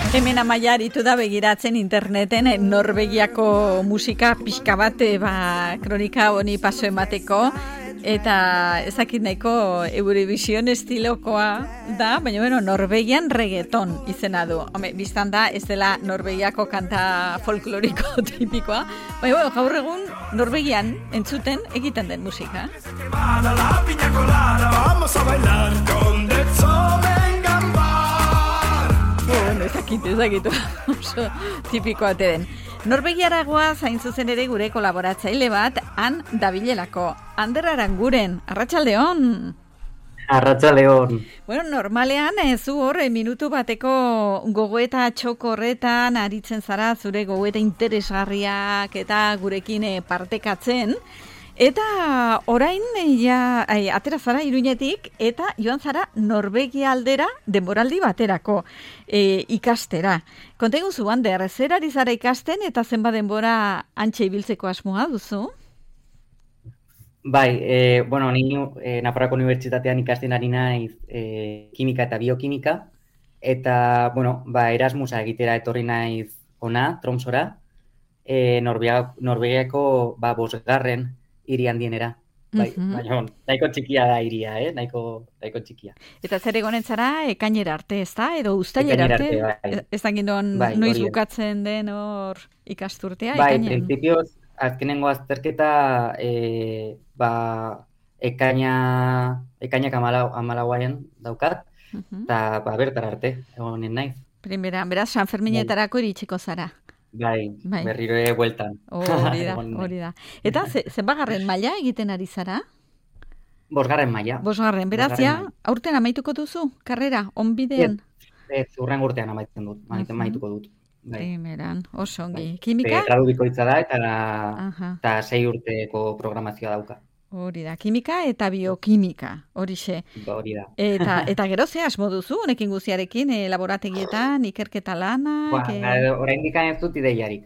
Hemen Amaia aritu da begiratzen interneten Norvegiako musika pixka bat kronika honi paso emateko eta ezakit nahiko Eurovision estilokoa da, baina bueno, Norvegian reggaeton izena du. Home, biztan da ez dela Norvegiako kanta folkloriko tipikoa, baina bueno, gaur egun Norvegian entzuten egiten den musika. Ezakit, oso tipikoa den. Norvegiaragoa zain zuzen ere gure kolaboratzaile bat, han dabilelako. Ander Aranguren, arratsaldeon. Arratsaldeon. Bueno, normalean zu hor minutu bateko gogoeta txoko horretan aritzen zara zure gogoeta interesgarriak eta gurekin partekatzen. Eta orain atera zara Iruñetik eta joan zara Norvegia aldera denboraldi baterako ikastera. Konta iguzu, Ander, zer ari zara ikasten eta zenbat denbora antxe ibiltzeko asmoa duzu? Bai, bueno, ni Nafarroako Unibertsitatean ikasten ari naiz kimika eta biokimika, eta, bueno, Erasmusa egitera etorri naiz ona, Tromsora, Norvegiako 5. hiri handienera. Bai, baina nahiko txikia da hiria, nahiko txikia. Eta zer egonen zara ekainera arte, ez da? Edo uztailera arte? Bai. Ez da gindon noiz bukatzen den hor ikasturtea? Bai, ekainean? prinsipioz, azkenengo azterketa, ekainak 14 daukat, eta bertara arte, egonen naiz. Beraz, San Ferminetarako iritsiko zara. Bai, berriro bueltan. Hori da. Eta zenbagarren maila egiten ari zara? 5. maila. 5. Beraz, aurten amaituko duzu, karrera, onbidean? Ez, urren urtean amaituko dut. Primeran, oso ongi. Kimika? Gradu bikoitza da eta 6 urteko programazioa dauka. Hori da, kimika eta biokimika, horixe. Hori da. Eta gero ze asmo duzu, honekin guziarekin, laborategietan, ikerketa lanak? Oraindik ez dut ideiarik,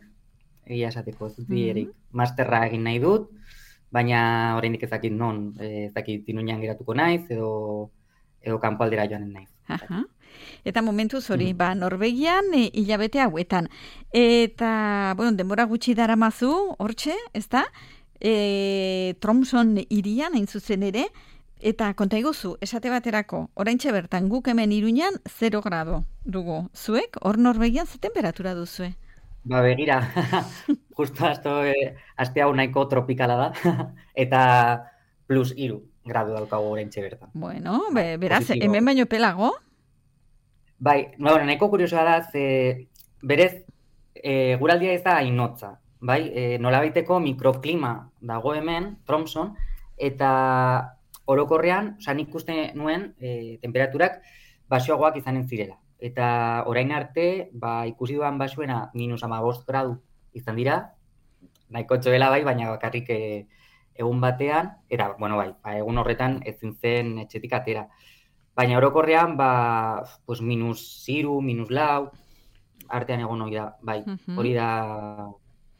egia esateko, ez dut ideiarik. Masterra egin nahi dut, baina oraindik ez dakit non, ez dakit Iruñean geratuko naiz, edo kanpoaldera joanen naiz. Eta momentuz hori, Norvegian hilabete hauetan. Eta, bueno, denbora gutxi daramazu, hortxe, ez da? Tromson hirian hain zuzen ere, eta konta iguzu, esate baterako, oraintxe bertan guk hemen Iruñan 0 grado dugu. Zuek, hor Norvegian ze temperatura duzue? Begira, justo aste hau nahiko tropikala da, eta +3 gradu daukagu oraintxe bertan. Bueno, beraz, hemen baino pelago? Bai, nahiko kuriosoa da, berez, guraldia ez da hainotza. Bai, nolabaiteko mikroklima dago hemen, Tromson, eta orokorrean, nik uste nuen temperaturak baxuagoak izanen zirela. Eta orain arte, ikusi duan baxuena -15 gradu izan dira, nahiko txoela baina bakarrik egun batean, eta, bueno, egun horretan ezin zen etxetik atera. Baina orokorrean, -3, -4 artean egon hori da, hori da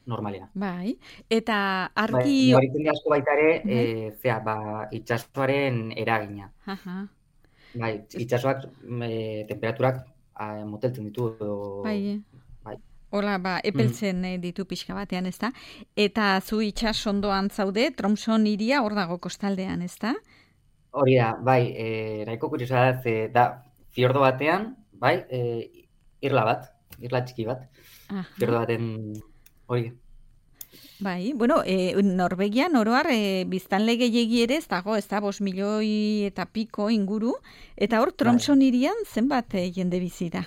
normalena. Bai, eta argi... Horitzen asko baita ere, itxasoaren eragina. Bai, itxasoak temperaturak moteltzen ditu. Bai. Hola, epeltzen ditu pixka batean, ez da? Eta zu itxasondoan zaude, Tromson hiria hor dago kostaldean, ez da? Hori da, nahiko kuriosoa da, fiordo batean, irla txiki bat, fiordo baten... Hori. Bai, bueno, Norvegian oroar biztanle gehiegi ere ez dago, ez da, 5 milioi eta piko inguru, eta hor Tromson hirian zenbat jende bizi da?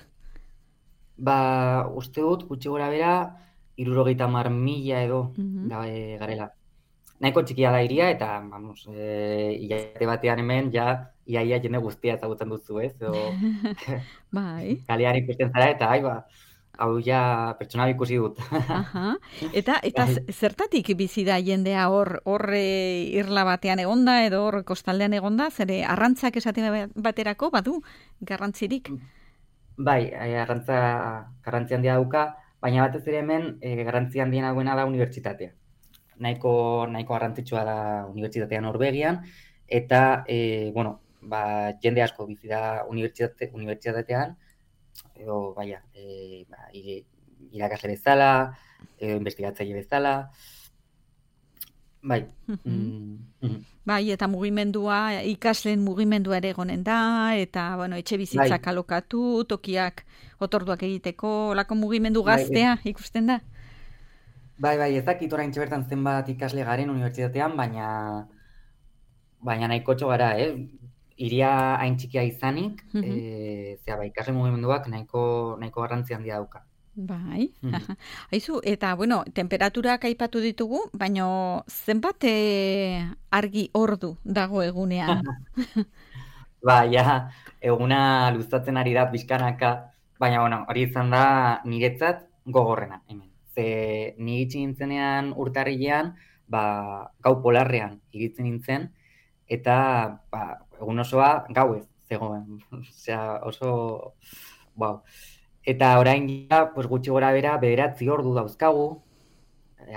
Uste dut, gutxi gora bera, 70.000 edo garela. Nahiko txikia da hiria, eta, hilabete batean hemen, iaia jende guztia ezagutzen duzu, ez? Bai. Kalean ikusten zara, eta, hau pertsona ikusi dut. Eta zertatik bizi da jendea hor irla batean egonda edo hor kostaldean egonda, zere arrantzak esate baterako badu garrantzirik? Bai, garrantzi handia dauka, baina batez ere hemen garrantzi handiena duena da unibertsitatea. Nahiko garrantzitsua da unibertsitatea Norvegian, eta, jende asko bizi da unibertsitatean, edo, irakasle bezala, edo investigatzaile bezala, bai. Bai, eta mugimendua, ikasleen mugimendua ere egonen da, eta, bueno, etxe bizitzak alokatu, tokiak otorduak egiteko, olako mugimendu gaztea ikusten da? Bai, ez dakit oraintxe bertan zenbat ikasle garen unibertsitatean, baina nahikotxo gara, Iria hain txikia izanik, ikasle mugimenduak nahiko garrantzi handia dauka. Bai, haizu, eta, bueno, temperaturak aipatu ditugu, baina zenbat argi ordu dago egunean? Eguna luzatzen ari da pixkanaka, baina, bueno, hori izan da niretzat gogorrena, hemen. Ze ni itxi nintzenean urtarrilean, gau polarrean iritzen nintzen, eta egun osoa gauez zegoen. Osea, oso, Eta orain gutxi gora bera 9 ordu dauzkagu,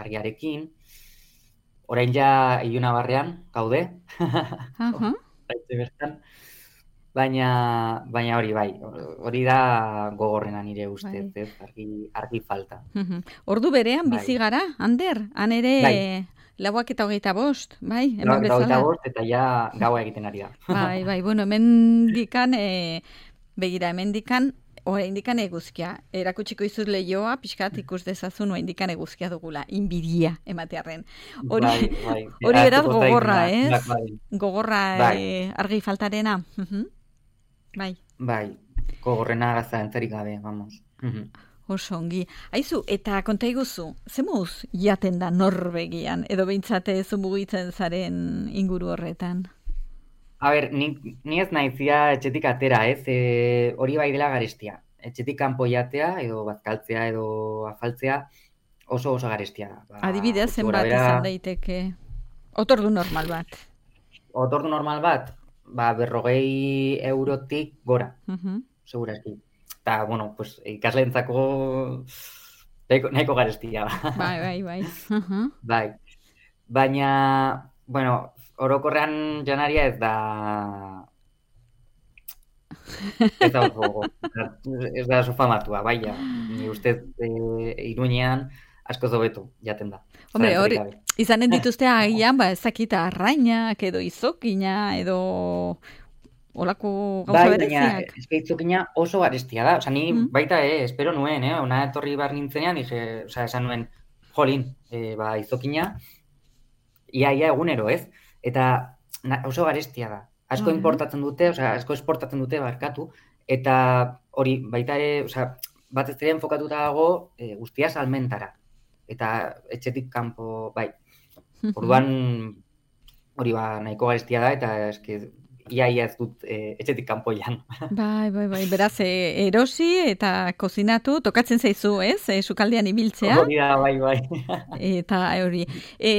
argiarekin. Orain ilunabarrean gaude. Baina hori da gogorrena nire ustez, argi falta. Ordu berean bizi gara, Ander? Han ere 4:25, bai? 4:25 eta gaua egiten ari da. Bai, bueno, hemendikan, begira, hemendikan, oraindikan eguzkia. Erakutsiko izuz lehioa, pixkat ikus dezazun, oraindikan eguzkia dugula, inbidia ematearren. Hori beraz gogorra, ez? Gogorra argi faltarena. Bai, gogorrena gazantzarik gabe, vamos. Oso ongi. Haizu, eta konta iguzu, zemuz jaten da Norvegian, edo behintzate zu mugitzen zaren inguru horretan? A ber, ni ez naizia etxetik atera, ez? Hori bai dela garestia. Etxetik kanpo jatea, edo bazkaltzea, edo afaltzea, oso garestia. Adibidez, zenbat izan daiteke? Otordu normal bat? Otordu normal bat? 40 eurotik gora, segurazki. Eta, bueno, pues, ikasleentzako nahiko garestia. Bai. Bai. Baina, bueno, orokorrean janaria ez da oso famatua, baina, ni ustez Iruñean asko zobetu jaten da. Hombre, hori, izanen dituzte agian, ezakita arrainak, edo izokina, edo olako gauza bereziak. Bai, izokina oso garestia da. Osa, ni baita, espero nuen, ona etorri bar nintzenean, esan nuen, jolin, izokina, ia egunero, ez? Eta oso garestia da. Asko importatzen dute, asko esportatzen dute barkatu, eta hori baita ere, bat ez ere enfokatuta dago guztia salmentara. Eta etxetik kanpo, bai. Orduan hori nahiko garestia da, eta eske ia ez dut etxetik kanpoian. Bai, beraz, erosi eta kozinatu, tokatzen zaizu, ez? Sukaldean ibiltzea. Hori da, bai. Eta hori.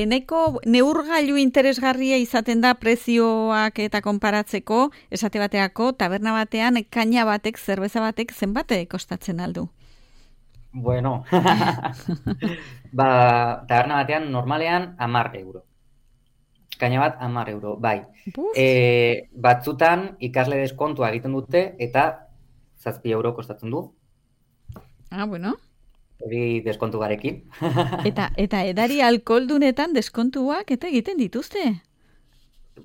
Nahiko neurgailu interesgarria izaten da prezioak eta konparatzeko, esate bateako, taberna batean, kaina batek, zerbeza batek, zenbate kostatzen aldu? Bueno, taberna batean normalean 10 euro. Kaina bat 10 euro, bai. Batzutan ikasle deskontua egiten dute eta 7 euro kostatzen du. Bueno. Hori deskontu garekin. Eta edari alkoholdunetan deskontuak eta egiten dituzte?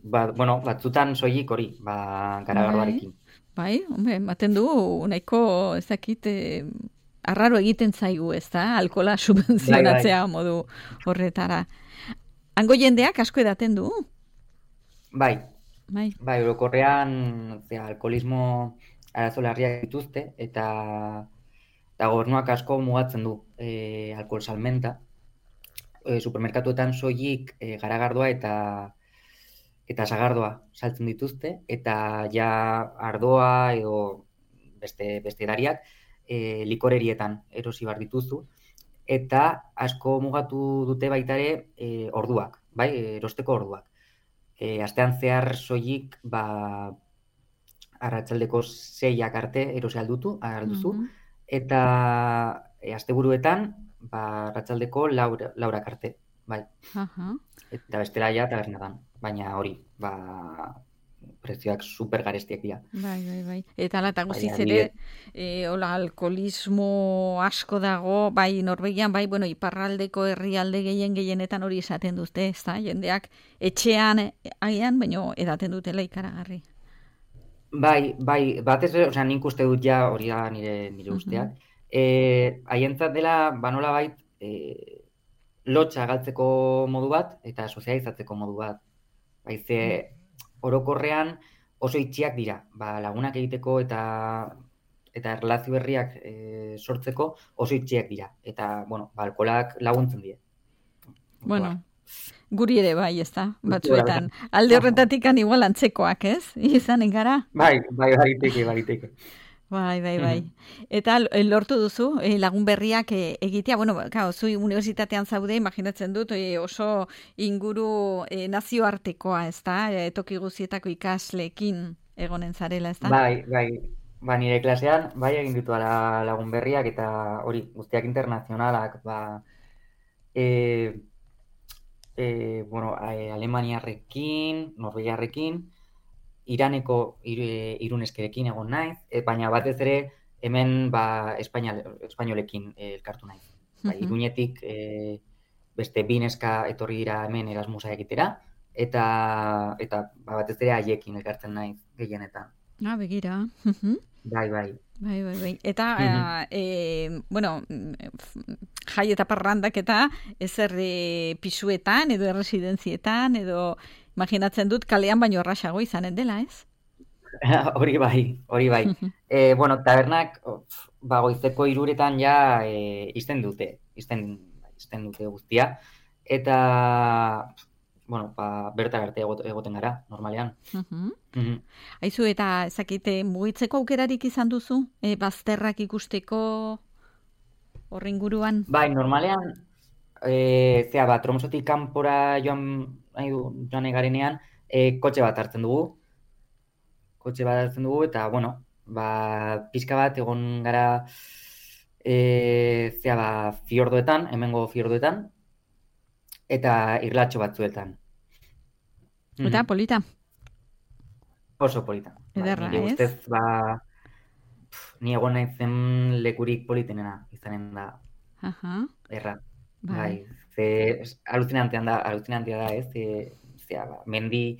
Bueno, batzutan soilik hori, garagardoarekin. Bai, hombre, ematen du, nahiko ez dakit, arraro egiten zaigu, ez da? Alkohola subentzionatzea modu horretara. Hango jendeak asko edaten du? Bai, orokorrean alkoholismo arazo larriak dituzte, eta gobernuak asko mugatzen du alkohol salmenta. Supermerkatuetan soilik garagardoa eta sagardoa saltzen dituzte, eta ardoa edo beste edariak likorerietan erosi bar dituzu. Eta asko mugatu dute baita ere orduak, bai, erosteko orduak. Astean zehar soilik arratsaldeko 6ak arte erosi alduzu, eta asteburuetan arratsaldeko 4ak arte, bai. Eta bestela tabernetan, baina hori, prezioak super garestiak dira. Bai. Eta ala, eta Bai, guziz adibidez. ere, hola, alkoholismo asko dago, bai Norvegian, bai, bueno, iparraldeko herrialde gehienetan hori esaten dute, ez da, jendeak etxean, agian, baino edaten dutela ikaragarri. Bai, batez ere, osea, nik uste dut ja hori da nire Mhm. usteak. Haientzat dela, nolabait, lotxa galtzeko modu bat eta sozializatzeko modu bat. Ze orokorrean oso itxiak dira, lagunak egiteko eta erlazio berriak sortzeko oso itxiak dira. Eta, alkolak laguntzen die. Bueno, guri ere bai, ez da, Kultura batzuetan. bezala. Alde horretatik igual antzekoak, ez? Izanen gara? Bai, baiteke. Bai. Eta lortu duzu, lagun berriak egitea, bueno, claro, zu unibertsitatean zaude, imaginatzen dut, oso inguru nazioartekoa, ez da? Toki guzietako ikasleekin egonen zarela, ez da? Bai. Nire klasean, bai egin ditu lagun berriak eta hori guztiak internazionalak, e, Alemaniarrekin, Norvegiarrekin, Iraneko iruneskerekin egon naiz, baina batez ere hemen espainolekin elkartu naiz. Iruñetik beste bi neska etorri dira hemen Erasmusa egitera, eta batez ere haiekin elkartzen naiz gehienetan. Begira. Bai. Eta, bueno, jai eta parrandak eta ezer pisuetan edo erresidentzietan edo imaginatzen dut kalean baino errasago izanen dela, ez? Hori bai. Tabernak goizeko 3:00 ja ixten dute guztia. Eta, berta arte egoten gara, normalean. Aizu, eta ezakite mugitzeko aukerarik izan duzu? Bazterrak ikusteko horren guruan? Bai, normalean, Tromsotik kanpora joan egarenean, kotxe bat hartzen dugu, eta, pixka bat egon gara fiordoetan, hemengo fiordoetan, eta irlatxo batzuetan. Eta polita? Oso polita. Ederra, nire ez? ustez, ni egon naizen lekurik politenena izanen da. Erra. Bai. Alucinantea da, ez? Mendi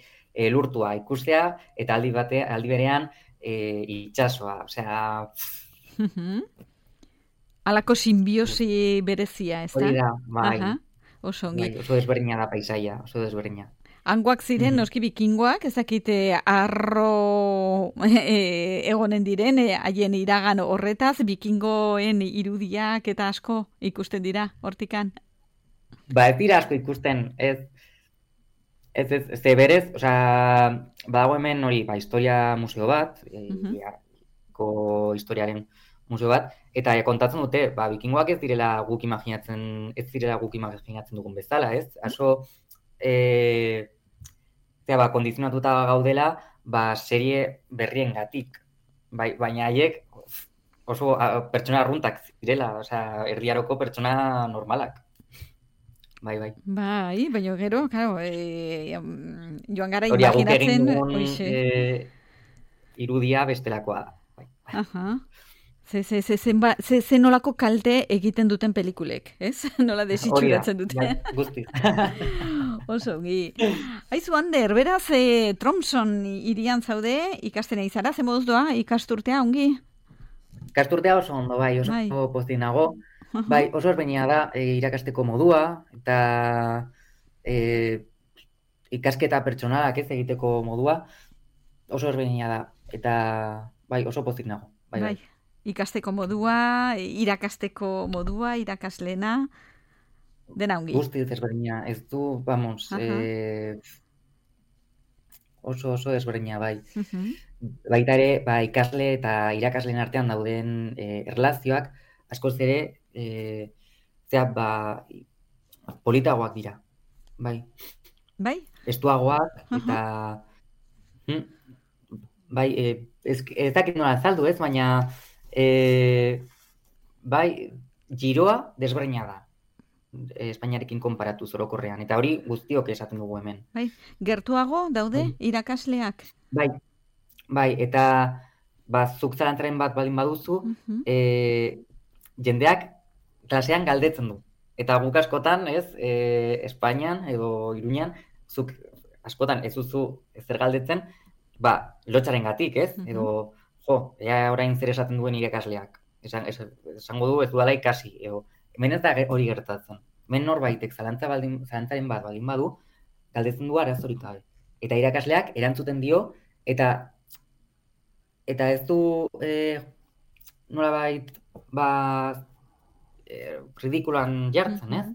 lurtua ikustea, eta aldi berean itsasoa, osea... Alako simbiosi berezia, ez da? Hori da, bai. Oso ongi. Oso desberdina da paisaia, oso desberdina. Hangoak ziren, noski bikingoak, ezakite arro egonen diren, haien iragan horretaz, bikingoen irudiak eta asko ikusten dira, hortikan? Ez dira asko ikusten, ez berez, badago hemen hori, historia museo bat, historiaren museo bat, eta kontatzen dute, bikingoak ez direla guk imaginatzen dugun bezala, ez? Aso, kondizionatuta gaudela, serie berriengatik. Baina haiek oso pertsona arruntak zirela, erdiaroko pertsona normalak. Bai, baina gero, claro, joan gara hori imaginatzen... Hori egin dugun irudia bestelakoa da. Ze nolako kalte egiten duten pelikulek, ez? Nola desitxuratzen dute. Bai, guzti. Oso, Aizu, Ander, beraz, Tromson irian zaude, ikastena izara, ze moduz doa, ikasturtea, ongi? Ikasturtea oso ondo, oso pozik nago. Oso ezberdina da irakasteko modua, eta ikasketa pertsonalak ez egiteko modua, oso ezberdina da, eta oso pozik nago. Bai. Ikasteko modua, irakasteko modua, irakaslena, dena ongi. Guzti ezberdina, ez du, oso ezberdina, bai. Baita ere, ikasle eta irakasleen artean dauden erlazioak, askoz ere, politagoak dira, bai. Estuagoak, eta ez dakit nola azaldu, ez, baina giroa desberdina da. Espainiarekin konparatu zorokorrean. Eta hori guztiok esaten dugu hemen. Bai, gertuago daude irakasleak. Bai, eta zuk zalantzaren bat baldin baduzu, jendeak klasean galdetzen du. Eta guk askotan, Espainian edo Iruñan, zuk askotan ez duzu zer galdetzen, lotxarengatik, ez? Edo, ea orain zer esaten duen irakasleak. Esango du ez dudala ikasi. Hemen ez da hori gertatzen. Hemen norbaitek zalantzaren bat baldin badu, galdetzen du arazorik gabe. Eta irakasleak erantzuten dio, eta ez du nolabait ridikulan jartzen, ez?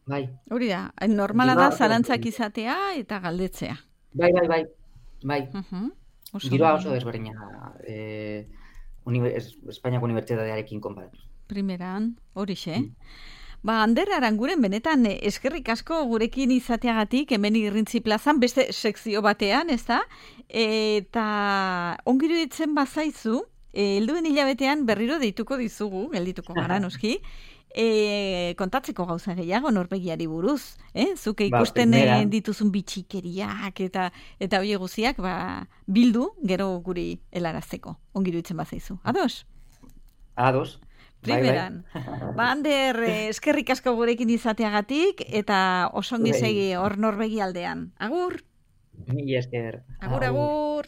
Bai. Hori da, normala da zalantzak izatea eta galdetzea. Bai. Giroa oso desberdina Espainiako unibertsitatearekin konparatu. Primeran, horixe. Ander Aranguren, benetan eskerrik asko gurekin izateagatik, hemen Irrintzi plazan, beste sekzio batean, ez da? Eta ongiru ditzen bazaizu, helduen hilabetean berriro deituko dizugu, geldituko gara noski, kontatzeko gauza gehiago Norvegiari buruz, zuke ikusten dituzun bitxikeriak eta hori guziak bildu gero guri helarazteko, ongiru ditzen bazaizu. Ados? Ados. Primeran. Ander, eskerrik asko gurekin izateagatik eta osongi segi hor Norvegia aldean. Agur! Mila esker. Agur.